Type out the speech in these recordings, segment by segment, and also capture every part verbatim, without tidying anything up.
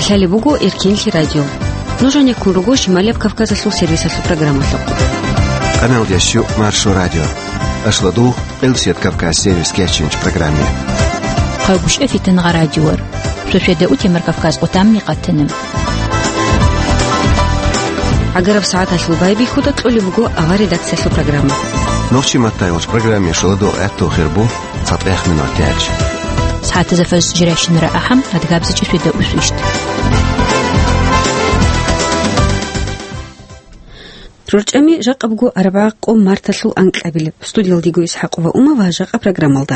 Лъалеб буго Эркенлъи радио. Нуж гьанеккун руго Шималияб Кавказалъул сервисалъул программалъухъ. Къаналдияс щук Маршо радио. Ашладугъ, Къилсият Кавказ сервис кечинч программе. Хъагушев Фитангъа радиор. Шошведа утемар Кавказ къутамни къатана. ГӀагараб сагӀаталъул байбихьуда кьолеб буго авар редакциялъул программа. Нохчи маттайгъоч программе шоладо гӀатту хирбу. ЦатӀех минут гьечӀ. СагӀатазда фарз жирайщинара ахӀам, адгабза чӀисвида усвищт. РорчӀами жакъа буго арбагӀа къо марталъул анкьабилеб. Студиялдего Исхакъова Ума ва жакъа программалда.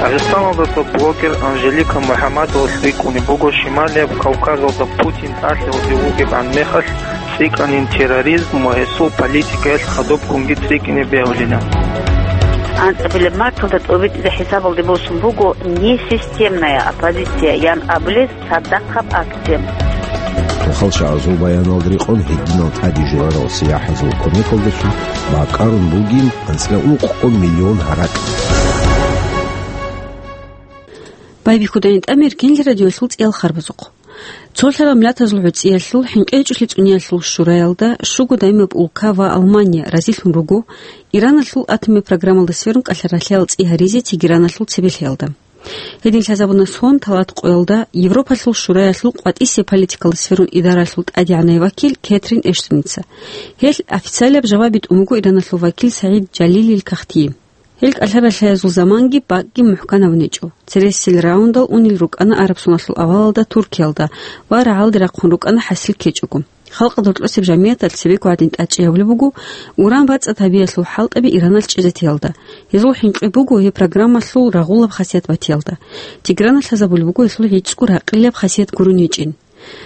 Дагъистаналдаса блогер Анжелика МухӀаммадовалъ рикӀкӀунеб буго Шималияб Кавказалда Путин тӀалъиялде вугебгӀан мехалъ цӀикӀкӀанин терроризм ва гьесул политикаялъ хадубгунги цӀикӀкӀине бегьулина. АнцӀабилеб марталда тӀобитӀизе хӀисабалде босун буго несистемная оппозиция ян абулес цадахъаб акция. Тухал чагӀазул баяналда рекъон гьединал тӀаде журарал сияхӀазул кумекалдалъун бакӀарун бугин анцӀила ункъо миллион гьаракь. Байбихьудайин тӀамер Эркенлъи радиоялъул цӀиял харбазухъ. Цолъарал миллатазул гӀуцӀиялъул, хӀинкъи гьечӀолъи цӀуниялъул шураялда, щуго даймаб улка ва Алмания разилъун руго, Ираналъул атомаб программалда сверун кӀалъа-ралъаял цӀи гьаризе Тегераналъул цебе лъеялда. Гьедин лъазабуна сон талат къоялда Европалъул шураялъул къватӀисеб политикалда сверун идаралъул тӀадегӀанай вакил Кэтрин Эштоница. Гьел официалаб жаваб битӀун буго Ираналъул вакил СагӀид Жалилил кагътие. Гьел кӀалъа-ралъаязул заманги бакӀги мухӀканабунечӀо. Цересел раундал унел рукӀана араб соналъул авалалда Туркиялда ва рагӀалде рахъун рукӀана хӀасил ккечӀого. Халкъалда рокьосеб жамигӀаталъ цебего гьадин тӀадчӀей гьабулеб буго уран бацӀцӀад гьабиялъул хӀалтӀаби Ираналъ чӀезатиялда. Гьезул хӀинкъи буго гьеб программалъул рагъулаб хасият батиялда. Тегеран лъазабулеб буго гьелъул гӀицӀго ракъилаб хасият гурони гьечӀин.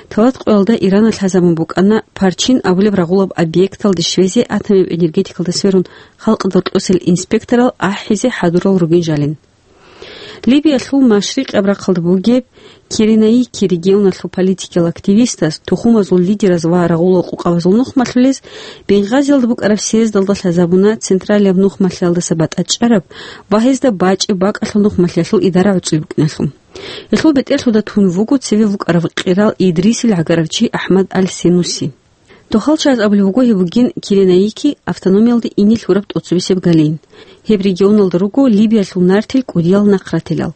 Талат къоялда Иран лъазабун букӀана Парчин абулеб рагъулаб объекталде щвезе атомаб энергетикалда сверун халкъалда рокьосел инспекторал ахӀизе хӀадурал ругин жалин. Либиялъул машрикъаб рахъалда бугеб Киренаики регионалъул политикиял активистас, тухумазул лидераз ва рагъулал къукъабазул нухмалъулез Бенгазиялда букӀараб съездалда лъазабуна централияб нухмалъиялдаса батӀа чӀараб ва гьезда бачӀеб бакӀалъул нухмалъиялъул идара гӀуцӀи букӀиналъул. Гьелъул бетӀерлъуда тун вуго цеве вукӀарав къирал Идрисил гӀагарав чи АхӀмад аль-Сенуси. ДохалчагӀаз абулеб буго гьеб бугин Киренаики автономиялде ине лъураб тӀоцебесеб галейин. Гьеб регионалда руго Либиялъул нартил кӀудиял нахъратилал.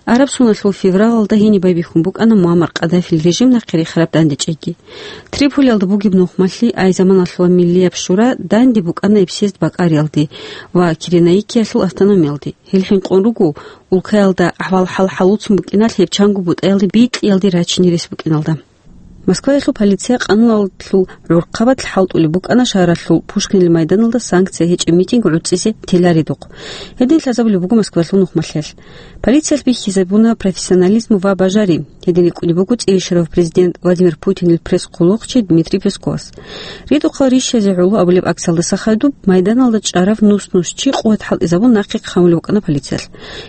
Араб соналъул февралалда гьениб байбихьун букӀана Муаммар Къаддафил режим нахъе рехараб дандечӀейги. Триполиялда бугеб нухмалъи, ай заманалъула Миллияб шура данде букӀана гьеб съезд бакӀариялде ва Киренаикиялъул автономиялде. Гьел хӀинкъун руго улкаялда ахӀвал-хӀал хӀалуцун букӀиналъ гьеб чанго бутӀаялде бикьиялде рачине рес букӀиналда. Москваялъул полиция къануналъул гӀурхъабалъ хӀалтӀулеб букӀана шагьаралъул Пушкинил майданалда санкция гьечӀеб митинг гӀуцӀизе теларидухъ. Гьедин лъазабулеб буго Москваялъул нухмалъиялъ. Полициялъ бихьизабуна профессионализм ва бажари. Гьедин рикӀкӀунеб буго цӀийищарав президент Владимир Путинил пресс-хъулухъчи Дмитрий Песковас. Ридухъал рищазе гӀоло абулеб акциялдаса хадуб майданалда чӀарав нус-нус чи къуват хӀалтӀизабун нахъе хъамулев вукӀана полициялъ.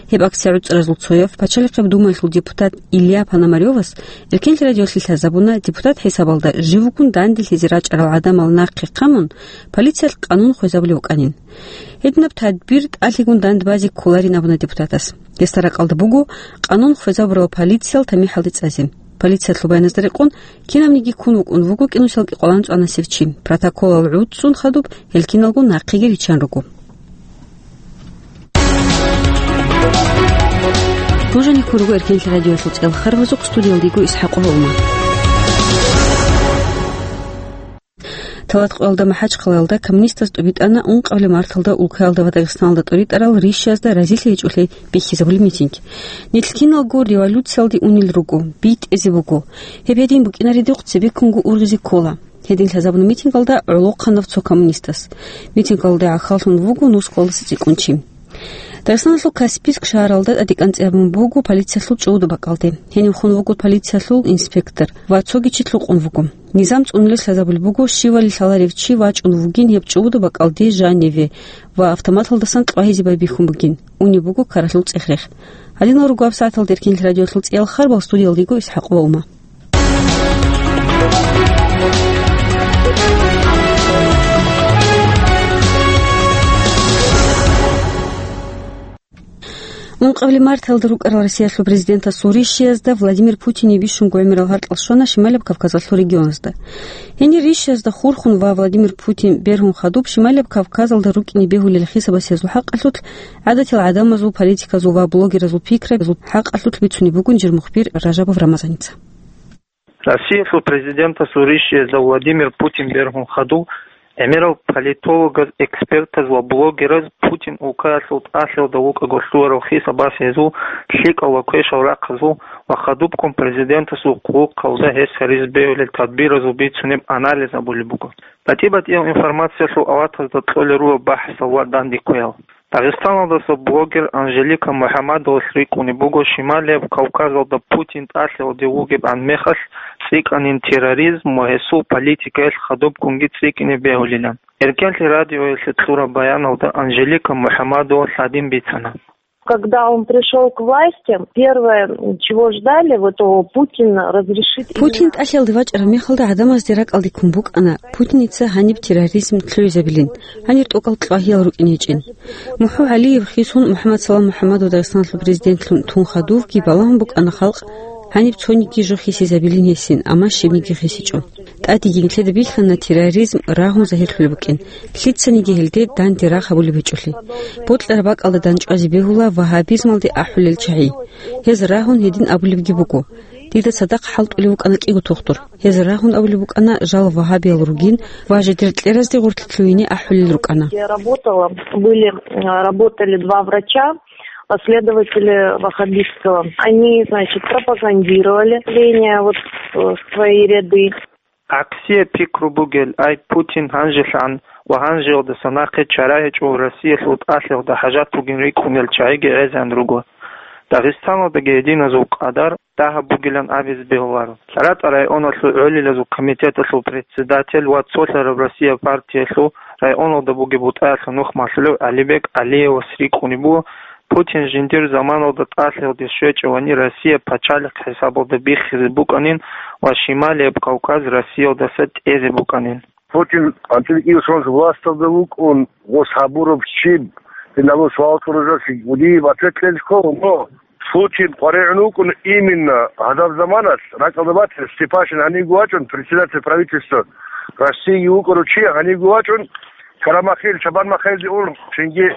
Гьеб акция гӀуцӀаразул цояв, Пачалихъеб Думаялъул депутат Илья Пономарёвас, Эркенлъи радиолъе лъазабуна, депутат хӀисабалда живгун данделъизе рачӀарал гӀадамал нахъе хъамун, полициялъ къанун хвезабулев вукӀанин. Гьединаб тадбир тӀалъигун дандбазе кколарин абуна депутатас. Гьесда ракӀалда буго къанун хвезабурал полициял тамихӀалде цӀазе. Полициялъул баяназда рекъон, кинабниги ккун вукӀун вуго кӀинусиялги къолан цӀанасев чи. Протоколал гӀуцӀцӀун хадуб гьел киналго нахъеги риччан руго. Нуж гьанеккун руго Эркенлъи радиоялъул цӀиял харбазухъ, студиялда йиго Исхакъова Ума. Талат къоялда МахӀачхъалаялда коммунистаз тӀубитӀана ункъабилеб марталда улкаялда ва Дагъистаналда тӀуритӀарал рищазда разилъи гьечӀолъи бихьизабулеб митинг. Нилъ киналго революциялде унел руго, битӀизе буго. Гьеб гьедин букӀинаридухъ цебеккунго ургъизе ккола. Гьедин лъазабуна митингалда гӀолохъанав цо коммунистас. Митингалда гӀахьаллъун вуго нускалдаса цӀикӀкӀун чи. Дагъистаналъул Каспийск шагьаралда тӀадекӀанцӀи гьабун буго полициялъул чӀужу бакӀалде. Гьенив хун вуго полициялъул инспектор ва цоги чи лъукъун вуго. Низам цӀунулел лъазабулеб буго, щивали лъаларев чи вачӀун вугин гьеб чӀужу бакӀалде жаниве ва автоматалдасан кьвагьизе байбихьун бугин. Унеб буго ккаралъул цӀех-рех. Гьадинал руго гьаб сагӀаталда Эркенлъи радиоялъул цӀиял харбал, студиялда йиго Исхакъова Ума. Ункъабилеб марталда рукӀарал Россиялъул президентасул рищиязда Владимир Путине бищунго гӀемерал гьаркьал щвана Шималияб Кавказалъул регионазда. Гьенир рищиязда хурхун ва Владимир Путин бергьун хадуб Шималияб Кавказалда рукӀине бегьулел хисабасиязул хӀакъалъулъ, гӀадатил гӀадамазул, политиказул ва блогеразул пикрабазул хӀакъалъулъ бицунеб бугин жир мухбир Ражабов Рамазаница. Россиялъул президентасул рищиязда Владимир Путин бергьун хадуб, гӀемерал политологаз, экспертаз ва блогераз Путин улкаялъул тӀалъиялда вукӀаго лъугьарал хисабасиязул, лъикӀал ва квешал рахъазул ва хадубккун президентасул хъулухъалда гьес гьаризе бегьулел тадбиразул бицунеб анализ абулеб буго. БатӀи-батӀиял информациялъул аватазда кьолел руго бахӀсал ва дандекквеял. Дагъистаналдаса блогер Анжелика МухӀаммадовалъ рикӀкӀунеб буго Шималияб Кавказалда Путин тӀалъиялде вугебгӀан мехалъ цӀикӀкӀанин терроризм ва гьесул политикаялъ хадубккунги цӀикӀкӀине бегьулилан. Эркенлъи радиоялъе кьураб баяналда Анжелика МухӀаммадовалъ гьадин бицана. Когда он пришёл к власти, первое, чего ждали, вот, о, Путин разрешит Путин именно тӀалъиялде вачӀараб мехалда гӀадамазде ракӀалде ккун букӀана Путиница гьаниб терроризм лъугӀизабилин, гьанир тӀокӀал кьвагьиял рукӀине гьечӀин. МухӀу ГӀалиев хисун МухӀаммад Салам МухӀаммадов Дагъистаналъул президентлъун тун хадувги балагьун букӀана халкъ гьаниб цониги жо хисизабилин гьесин, амма щибниги хисичӀо. ТӀадеги нилъеда бихьана терроризм рагьун загьирлъулеб букӀин, лъицаниги гьелде данде рагъ гьабулеб гьечӀолъи. Бокьараб бакӀалда дандчӀвазе бегьула вагьабизмалде ахӀулел чагӀи. Гьез рагьун гьедин абулебги буго: «Дида цадахъ хӀалтӀулев вукӀана кӀиго тухтур. Гьез рагьун абулеб букӀана жал вагьабиял ругин ва жидер кьеразде гъорлъе лъугьине ахӀулел рукӀана». Я работала, были, э, работали два врача, последователи ваххабистского. Они, значит, пропагандировали ление вот, э, в свои ряды. ГӀаксие пикру бугел, ай, Путин гьанжелъан ва гьанжеялдаса нахъе чара гьечӀо Россиялъул тӀалъиялда хӀажат бугин рикӀкӀунел чагӀиги гӀезегӀан руго. Дагъистаналдаги гьединазул къадар дагьаб бугилан абизе бегьуларо. ЛъаратӀа районалъул гӀолилазул комитеталъул председатель ва цолъараб Россия партиялъул районалда бугеб бутӀаялъул нух малъулев ГӀалибек ГӀалиевас рикӀкӀунеб буго, Путин жиндир заманалда тӀалъиялде щвечӀевани Россия пачалихъ хӀисабалда биххизе букӀанин ва Шималияб Кавказ Россиялдаса тӀезе букӀанин. Путин анцӀила кӀиго сон власталда вукӀун, гъос гьабураб щиб, гьеб набулеб суал кьураб жо, гьудияб ответ кьезе ккола, но Путин къваригӀун вукӀун именно гьадаб заманалъ, ракӀалда батила, Степашин гьанивго вачӀун, председатель правительства Россииги вукӀарав чи гьанивго вачӀун, Карамахил, Чабан Махаилде ун, цинги,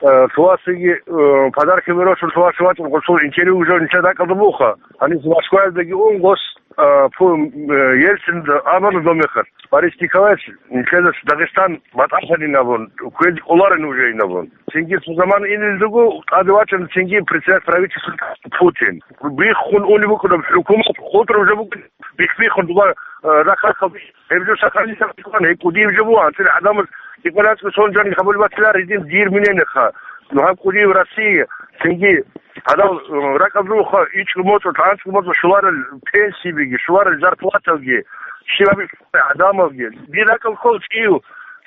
э, Лъугьасиги, э, подарки беросун Лъугьасе вачӀун, гъосул интервью уже нилъер ракӀалда буха. Гьанив Москваялдаги ун, гъос, э, пу-, э, Ельцин абуна дов мехалъ. Борис Николаевич, нилъеда Дагъистан батӀалъанин абун, кквезе кӀоларин уже ин абун. Цинги цо заман инел руго, тӀаде вачӀун цинги председатель правительства Путин. Биххун унеб букӀунеб хӀукумат, хутӀра уже букӀун, бихбиххун дуба, э, рахъалъ гьеб жо сохранить гьабичӀони, гьеб кӀудияб жо буго, анцӀила гӀадамаз кӀикъоялда сон жаниб гьабулеб батиларо гьедин дир мнениеха. Ну, гьаб кӀудияб Россия, цинги гьадал, э, ракӀалда руго ичӀго моцӀалъ, анцӀго моцӀалъ щоларел пенсиябиги, щоларел зарплаталги, щибаб гӀадамалги. Дир ракӀалда ккола чӀив,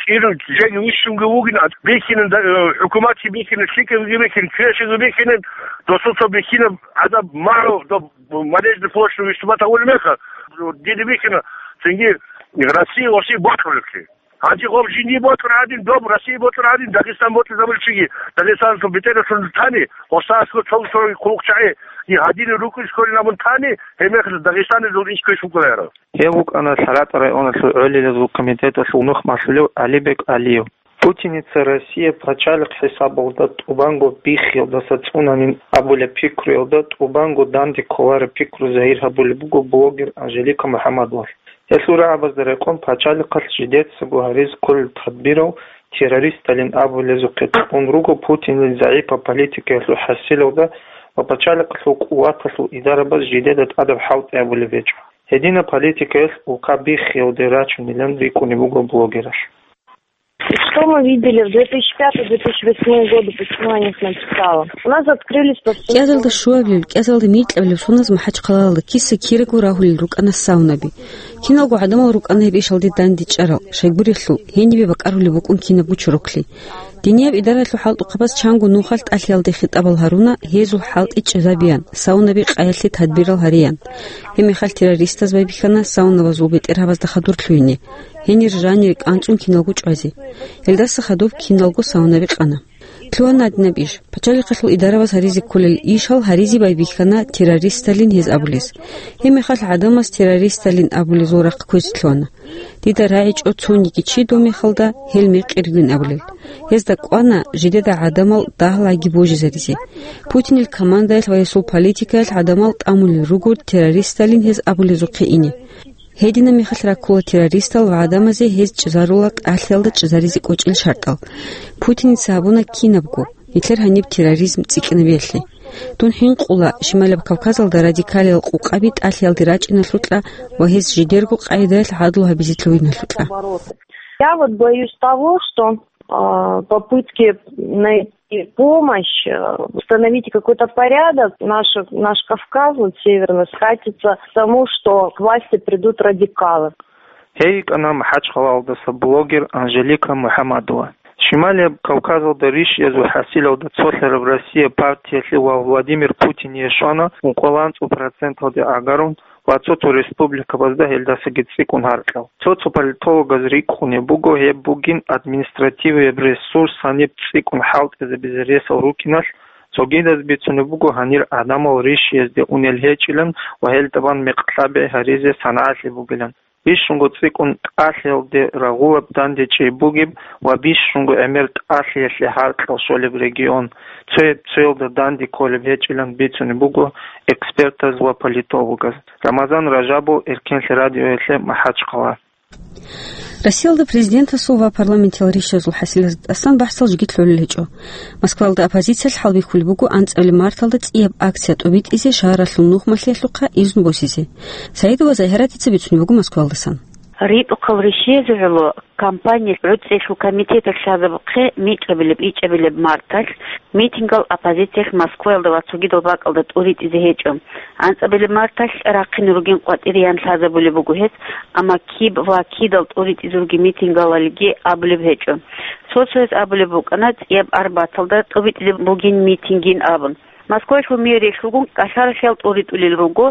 чӀир жеги вищунги вугин, бихьинин, э, хӀукуматги бихьинин, лъикӀабиги бихьинин, квешабиги бихьинин, досул цо бихьинаб гӀадаб магӀу, доб Манежный площадь выступать гьабулеб мехалъ, дида бихьана, цинги Россия, Россия бокьулеблъи. Гьанже гъоб жиндие бокьун гӀадин, доб Россия бокьун гӀадин, Дагъистан бокьизабулев чиги, Дагъистаналъул бетӀералъур тани, гъосда аскӀоб цо-цо хъулухъчагӀи, и гьадинаб рукӀин кколин абун тани, гьеб мехалъ Дагъистаналъул иш квеш букӀуларо. Гьев вукӀана ЛъаратӀа районалъул гӀолилазул комитеталъул нух малъулев ГӀалибек ГӀалиев. Путиница Россия пачалихъ хӀисабалда тӀубанго биххиялдаса цӀунанин абулеб пикруялда тӀубанго данде кколареб пикру загьир гьабулеб буго блогер Анжелика МухӀаммадовалъ. Гьелъул рагӀабазда рекъон пачалихъалъ жидецаго гьаризе кколел тадбирал террористалин абулезухъе кьун руго Путинил загӀипаб политикаялъул хӀасилалда ва пачалихъалъул къуваталъул идарабаз жидеда тӀадаб хӀалтӀи гьабулеб гьечӀо. Гьединаб политикаялъ улка биххиялде рачунилан рикӀкӀунеб буго блогералъ. И что мы видели в две тысячи пятый — две тысячи восьмой годы, почему я о них написала? У нас открылись повсеместно. КӀиазалда щуабилеб, кӀиазалда микьабилеб соназ МахӀачхъалаялда киса-кираго рагьулел рукӀана саунаби. Киналго гӀадамал рукӀана гьеб ишалде дандечӀарал, щайгурелъул, гьенибе бакӀарулеб букӀун кинабго чороклъи. Динияб идараялъул хӀалтӀухъабаз чанго нухалъ тӀалъиялде хитӀабал гьаруна, гьезул хӀалтӀи чӀезабеян, саунаби къаялъе тадбирал гьареян. Гьеб мехалъ террористаз байбихьана саунабазул бетӀергьабазда хадур лъугьине, гьенир жанире кӀанцӀун киналго чӀвазе. Гьелдаса хадуб киналго саунаби къана. Лъугьана гьадинаб иш. Пачалихъалъул идараваз гьаризе кколел ишал гьаризе байбихьана террористалин гьез абулес. Гьебмехалъ гӀадамаз террористалин абулезул рахъ кквезе лъугьана. Дида рагӀичӀо цониги чи дов мехалда гьел мекъи ругин абулел. Гьезда кӀвана жидеда гӀадамал дагьлаги божизаризе. Путинил командаялъ ва гьесул политикаялъ гӀадамал тӀамулел руго террористалин гьез абулезухъе ине. Гьединаб мехалъ раккула террористал ва гӀадамазе гьез чӀезарула тӀалъиялда чӀезаризе кӀочӀел шартӀал. Путиница гьабуна кинабго, нилъер гьаниб терроризм цӀикӀкӀинабиялъе. Дун хӀинкъула Шималаб Кавказалда радикалиял къукъаби тӀалъиялде рачӀиналъукьа ва гьез жидерго къагӀидаялъ гӀадлу гьабизе лъугьиналъукьа. Я вот боюсь того, что, а, попытки найти помощь, э, установить какой-то порядок, наш, наш Кавказ, вот северный, скатится к тому, что к власти придут радикалы. Гьей йикӀана МахӀачхъалаялдаса блогер Анжелика МухӀамадова. Шималияб Кавказалда рищиязул хӀасилалда цолъараб Россия партиялъе ва Владимир Путине щвана ункъоялда анцӀго проценталде гӀагарун ва цо-цо республикабазда гьелдасаги цӀикӀкӀун гьаркьал. Цо-цо политологаз рикӀкӀунеб буго гьеб бугин административияб ресурс гьаниб цӀикӀкӀун хӀалтӀизабизе ресал рукӀиналъ, цогидаз бицунеб буго гьанир гӀадамал рищиязде унел гьечӀилан ва гьелда бан мекъи лъабигӀи гьаризе сангӀалъи бугилан. Бищунго цӀикӀкӀун тӀалъиялде рагъулаб дандечӀей бугеб ва бищунго гӀемер тӀалъиялъе гьаркьал щолеб регион, цояб-цоялда данде кколеб гьечӀилан бицунеб буго экспертаз ва политологаз. Рамазан Ражабов, Эркенлъи радиоялъе, МахӀачхъала. Россиялда президентасул ва парламентиял рищазул хӀасилазда тӀасан бахӀсал жеги лъолел гьечӀо. Москваялда оппозициялъ хӀалбихьулеб буго анцӀабилеб марталда цӀияб акция тӀобитӀизе шагьаралъул нухмалъиялъухъа изну босизе. Саидова Загьиратица бицунеб буго Москваялдасан. РитӀухъал рищизе гӀоло кампания гӀуцӀиялъул комитеталъ лъазабухъе микьабилеб, ичӀабилеб марталъ митингал оппозициялъ Москваялда ва цогидал бакӀалда тӀуритӀизе гьечӀо. АнцӀабилеб марталъ рахъине ругин къватӀире ян лъазабулеб буго гьес, амма киб ва кидал тӀуритӀизе ругин митингалалги абулеб гьечӀо. Цо-цояз абулеб букӀана цӀияб арбаталда тӀубитӀизе бугин митингин абун. Москвалъул мэриялъулгун кӀалъаралъиял тӀуритӀулел руго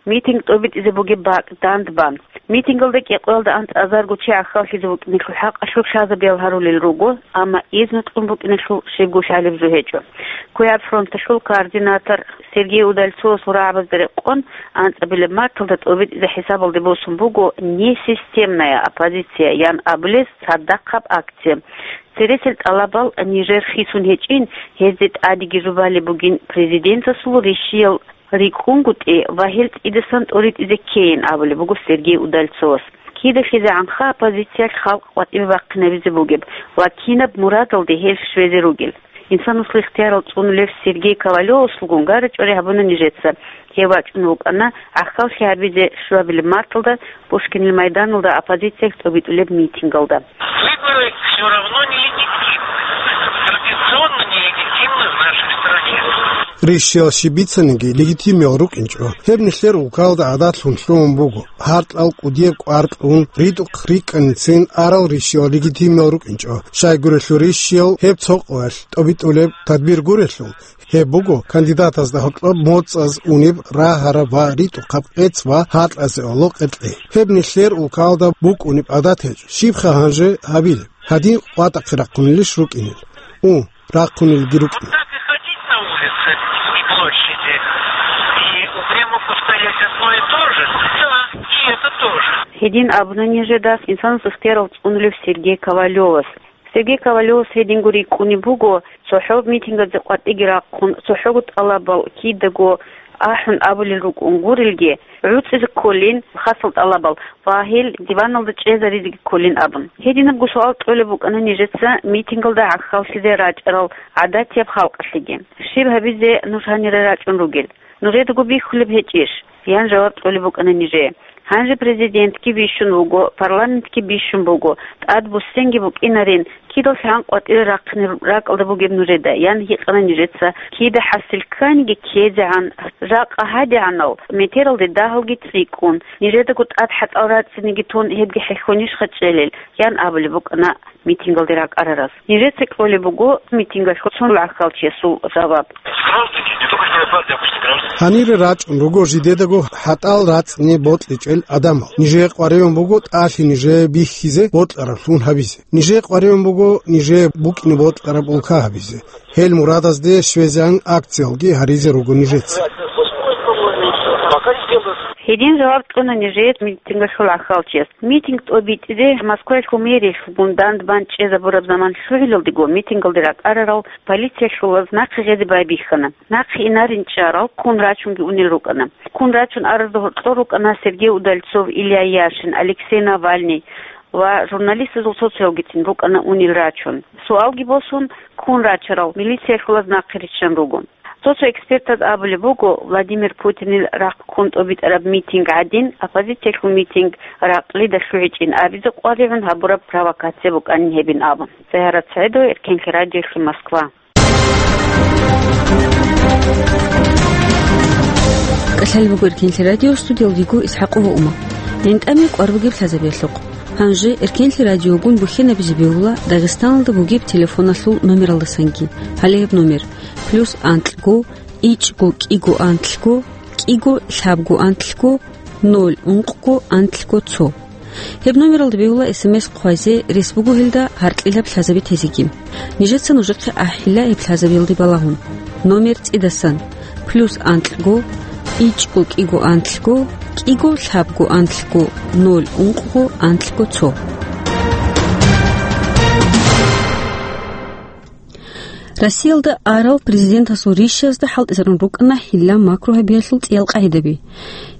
митинг тӀубитӀизе бугеб бакӀ дандбан. Митингалда кӀикъоялда анцӀазарго чи гӀахьаллъизе букӀиналъул хӀакъалъулъ лъазабиял гьарулел руго, амма изну кьун букӀиналъул щибго лъалеб жо гьечӀо. КвегӀаб фронталъул координатор Сергей Удальцовасул рагӀабазда рекъон, анцӀабилеб марталда тӀубитӀизе хӀисабалде босун буго несистемная оппозиция ян абулес цадахъаб акция. Цересел тӀалабал нижер хисун гьечӀин, гьезде тӀадеги жубалеб бугин президентасул рищиял рикӀкӀунгутӀи ва гьел цӀидасан тӀуритӀизе ккейин абулеб буго Сергей Удальцовас. Кида хизегӀанха оппозициялъ халкъ къватӀибе бахъинабизе бугеб ва кинаб мурадалде гьел щвезе ругел. Инсанасул ихтиярал цӀунулев Сергей Ковалёвасулгун гара-чӀвари гьабуна нижеца. Гьев вачӀун вукӀана гӀахьаллъи гьабизе щуабилеб марталда Пушкинил майданалда оппозициялъ тӀубитӀулеб митингалда. Выборы всё равно нелегитимны. Традиционно нелегитимны в нашей стране. Рищиял щиб бицаниги легитимиял рукӀинчӀо. Гьеб нилъер улкалда гӀадатлъун лъугьун буго. Гьаркьал кӀудияб кӀвар кьун, ритӀухъ рикӀкӀанин цин арал рищиял легитимиял рукӀинчӀо. Щайгурелъул рищиял гьеб цо къоялъ тӀубитӀулеб тадбир гурелъул, гьеб буго кандидатазда гьоркьоб моцӀаз унеб рагьараб ва ритӀухъаб къец ва гьаркьазе гӀоло къеркьей. Гьеб нилъер улкалда букӀунеб гӀадат гьечӀо. Щибха гьанже гьабилеб? Гьадин къватӀахъе рахъунилищ рукӀинел? У, рахъунилги рукӀин. Так и ходить на улице и площади, и упрямо повторять одно и то же. Да, и это тоже. Гьедин абуна нижеда инсанас ихтиярал цӀунулев Сергей Ковалёвас. Сергей Ковалёвас гьединго рикӀкӀунеб буго, цохӀо митингазе къватӀиги рахъун, цохӀого тӀалабал кидаго ахӀун абулел рукӀун гурелги, гӀуцӀизе кколин хасал тӀалабал ва гьел диваналда чӀезаризеги кколин абун. Гьединабго суал кьолеб букӀана нижеца митингалда гӀахьаллъизе рачӀарал гӀадатияб халкъалъеги. Щиб гьабизе нуж гьанире рачӀун ругел? Нужедаго бихьулеб гьечӀищ? Ян жаваб кьолеб букӀана нижее. Гьанже президентги бищун вуго, парламентги бищун буго, тӀад буссинги букӀинарин, кидал лъан къватӀире рахъине ракӀалда бугеб нужеда, ян гьикъана нижеца, кида хӀасил кканиги ккезегӀан, жакъа гьадигӀанал метералде дагьалги цӀикӀкӀун, нижедаго тӀад хӀатӀал рацӀцӀиниги тун гьебги хӀехьонищха чӀелел, ян абулеб букӀана митингалде ракӀарарас. Нижеца кьолеб буго митингалъул цо гӀахьалчиясул жаваб. Граждане, не только не нападайте, а просто граждане. Гьанире рачӀун руго жидедаго хӀатӀал рацӀцӀине бокьичӀел гӀадамал. Нижее къваригӀун буго тӀалъи нижее бихьизе бокьараблъун гьабизе. Нижее къваригӀун буго нижее букӀине бокьараб улка гьабизе. Гьел мурадазде щвезегӀан акциялги гьаризе руго нижеца. Гьедин жаваб кьуна нижее митингалъул гӀахьалчияс. Митинг тӀобитӀизе Москваялъул мэриялъулгун дандбан чӀезабураб заман лъугӀиналдего митингалде ракӀарарал полициялъулаз нахъе гъезе байбихьана. Нахъе инарин чӀарал ккун рачунги унел рукӀана. Ккун рачун аразда гьоркьор рукӀана Сергей Удальцов, Илья Яшин, Алексей Навальный ва журналистазул цо-цоявгицин рукӀана унел рачун. Суалги босун, ккун рачарал милициялъулаз нахъе риччан руго. Цо-цо экспертаз абулеб буго, Владимир Путинил рахъ ккун тӀобитӀараб митинг гӀадин, оппозициялъул митинг ракълида лъугӀичӀин абизе къваригӀун гьабураб провокация букӀанин гьебин абун. Загьарат СагӀидова, Эркенлъи радиолъи, Москва. КӀалъалеб буго Эркенлъи радио, студиялда вуго ИсхӀакъова Умар. ГӀинтӀаме кӀвар бугеб лъазабиялъухъ. Гьанже Эркенлъи радиогун бухьенабизе бегьула Дагъистаналда бугеб телефоналъул номералдасанги. Гьале гьеб номер: плюс анкьго, ичӀго кӀиго анкьго, кӀиго лъабго анкьго, ноль ункъго анкьго цо. Гьеб номералда бегьула СМС хъвазе, рес буго гьелда гьаркьилаб лъазаби тезеги. Нижеца нужехъе ахӀила гьеб лъазабиялде балагьун. Номер цӀидасан: плюс анкьго, ичӀго кӀиго анкьго, кӀиго лъабго анкьго, ноль ункъго анкьго цо. Россиялда арал президентасул рищазда хӀалтӀизарун рукӀана хӀилла-макру гьабиялъул цӀиял къагӀидаби.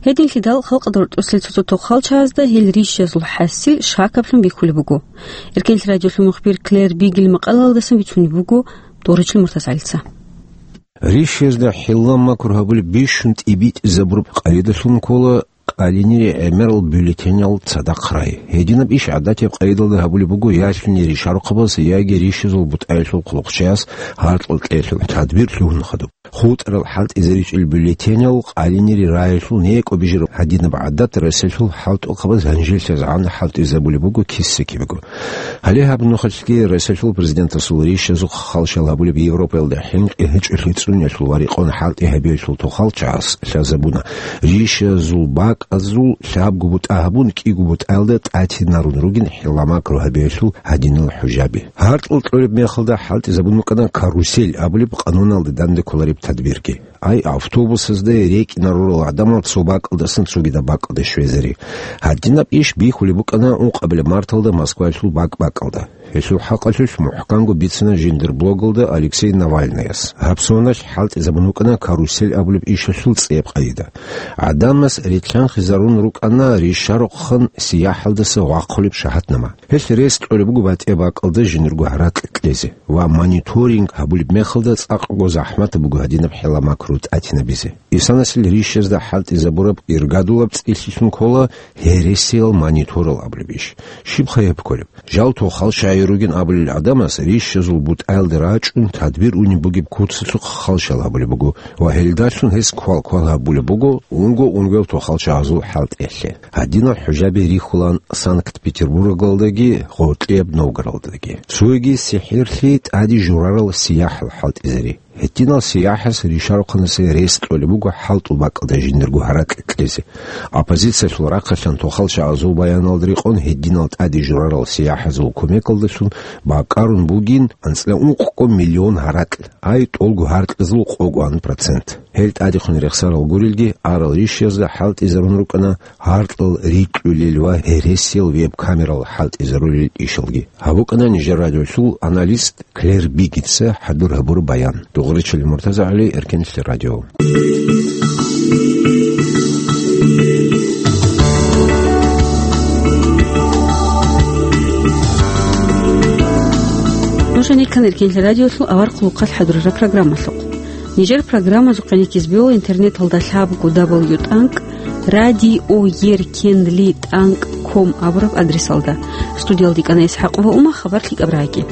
Гьединлъидал халкъалда рорчӀосел цо-цо тохалчагӀазда гьел рищазул хӀасил шакаблъун бихьулеб буго. Эркенлъи радиолъул мухбир Клэр Бигел макъалаялдасан бицунеб буго Доричил МуртазагӀалица. Рищазда хӀилла-макру гьабулеб бищун тӀибитӀизабураб къагӀидалъун ккола къалинире гӀемерал бюллетенял цадахъ рай. Гьединаб иш гӀадатияб къагӀидалда гьабулеб буго ялъуни ришарухъабаз яги рищазул бутӀаялъул хъулухъчияс гьаркьал кьеялъул тадбир лъугьун хадуб. ХутӀарал хӀалтӀизаричӀел бюллетенял къалинире раялъул некӀо бижараб гьадинаб гӀадат ресалъул хӀалтӀухъабаз гьанжелъазгӀан хӀалтӀизабулеб буго киса-кибего. Гьале гьаб нухалъги ресалъул президентасул рищазухъ халщал гьабулеб Европаялда хӀинкъи гьечӀолъи цӀуниялъул ва рекъон хӀалтӀи гьабиялъул тохалчагӀас лъазабуна, рищазул бакӀазул лъабго бутӀа гьабун, кӀиго бутӀаялда тӀатинарун ругин хӀилла-макру гьабиялъул гьадинал хӀужаби. Гьаркьал кьолеб мехалда хӀалтӀизабун букӀана карусель абулеб къануналда данде кколареб тадбирги. Ай, автобусазда рекӀинарурал гӀадамал цо бакӀалдасан цогидаб бакӀалде щвезари. Гьадинаб иш бихьулеб букӀана ункъабилеб марталда Москваялъул бакӀ-бакӀалда. Гьелъул хӀакъалъулъ мухӀканго бицина жиндир блогалда Алексей Навальныяс. Гьаб соналъ хӀалтӀизабун букӀана карусель абулеб ишалъул цӀияб къагӀида. ГӀадамас рилълъанхъизарун рукӀана ришарухъан сияхӀалдаса вахъулеб шагьатнама. Гьелъ рес кьолеб буго батӀияб бакӀалда жиндирго гьаракь кьезе ва мониторинг гьабулеб мехалда цӀакъго захӀматаб буго гьадинаб хӀилла-макру тӀатинабизе. Исанасил рищазда хӀалтӀизабураб иргадулаб цӀилъилъун ккола гьересиял мониторал абулеб иш. Щибха гьеб кколеб? Жал тохалчагӀи ругин абулел гӀадамас рищазул бутӀаялде рачӀун тадбир унеб бугеб куцалъухъ халщал гьабулеб буго ва гьелдалъун гьес квал-квал гьабулеб буго унго-унгоял тохалчагӀазул хӀалтӀиялъе. Гьадинал хӀужаби рихьулаан Санкт-Петербургалдаги гъоркьияб Новгородлъи. Цоги сихӀирлъи тӀаде журарал сияхӀал хӀалтӀизари. Гьединал сияхӀас ришарухъанасе рес кьолеб буго хӀалтӀул бакӀалда жиндирго гьаракь кьезе. Оппозициялъул рахъалъан тохалчагӀазул баяналда рекъон гьединал тӀаде журарал сияхӀазул кумекалдалъун бакӀарун бугин анцӀила ункъго миллион гьаракь, ай, тӀолго гьаркьазул къогоан процент. Гьел тӀадехун рехсарал гурелги, арал рищазда хӀалтӀизарун рукӀана гьаркьал рикьулел ва гьересиял веб-камерал хӀалтӀизарулел ишалги. Гьаб букӀана нижер радиолъул аналист Клэр Бигелица хӀадур гьабураб баян. Дугъричилин МуртазагӀали, Эркенлъи радио. Нуж гьанир ккан Эркенлъи радиолъул авар хъулухъалъ хӀадурараб программалъухъ. Нижер программазухъе ккезе бегьула интернеталда лъабго дабл ю тӀанкӀ радиоеркенлъи тӀанкӀ ком абураб адресалда. Студиялда кӀана ИсхӀакъова Ума, хабар лъикӀаб рагӀи.